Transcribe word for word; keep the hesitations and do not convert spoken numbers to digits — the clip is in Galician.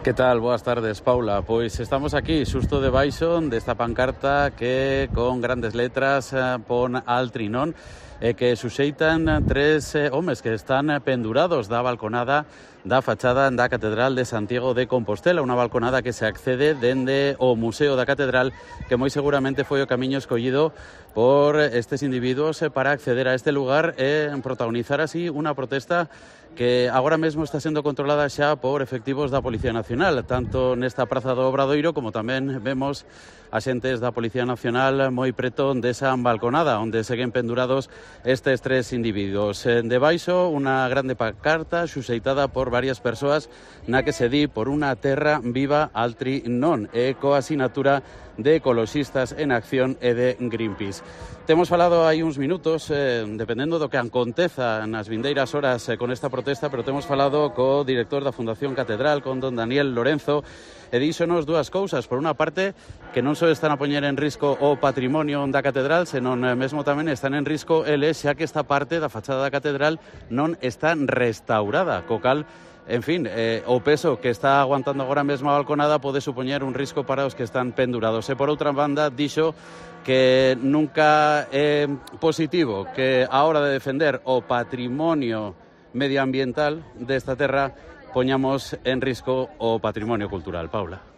Que tal? Boas tardes, Paula. Pois estamos aquí, xusto debaixo desta pancarta que con grandes letras eh, pon Altri non e que suxeitan tres eh, homes que están pendurados da balconada da fachada da Catedral de Santiago de Compostela, unha balconada que se accede dende o Museo da Catedral, que moi seguramente foi o camiño escollido por estes individuos para acceder a este lugar e protagonizar así unha protesta que agora mesmo está sendo controlada xa por efectivos da Policía Nacional, tanto nesta Praza do Obradoiro como tamén vemos axentes da Policía Nacional moi preto desa balconada onde seguen pendurados estes tres individuos. Debaixo unha grande pancarta xuxeitada por varias persoas na que se di por unha terra viva Altri non e coa asinatura de Ecoloxistas en Acción e de Greenpeace. Temos falado hai uns minutos, eh, dependendo do que aconteza nas vindeiras horas eh, con esta protesta, pero temos falado co director da Fundación Catedral, con don Daniel Lorenzo, e díxonos dúas cousas. Por unha parte, que non só están a poñer en risco o patrimonio da Catedral, senón eh, mesmo tamén están en risco eles, xa que esta parte da fachada da Catedral non está restaurada, co cal, en fin, eh, o peso que está aguantando agora mesmo a balconada pode supoñer un risco para os que están pendurados. E por outra banda, dixo que nunca é positivo que a hora de defender o patrimonio medioambiental desta terra poñamos en risco o patrimonio cultural. Paula.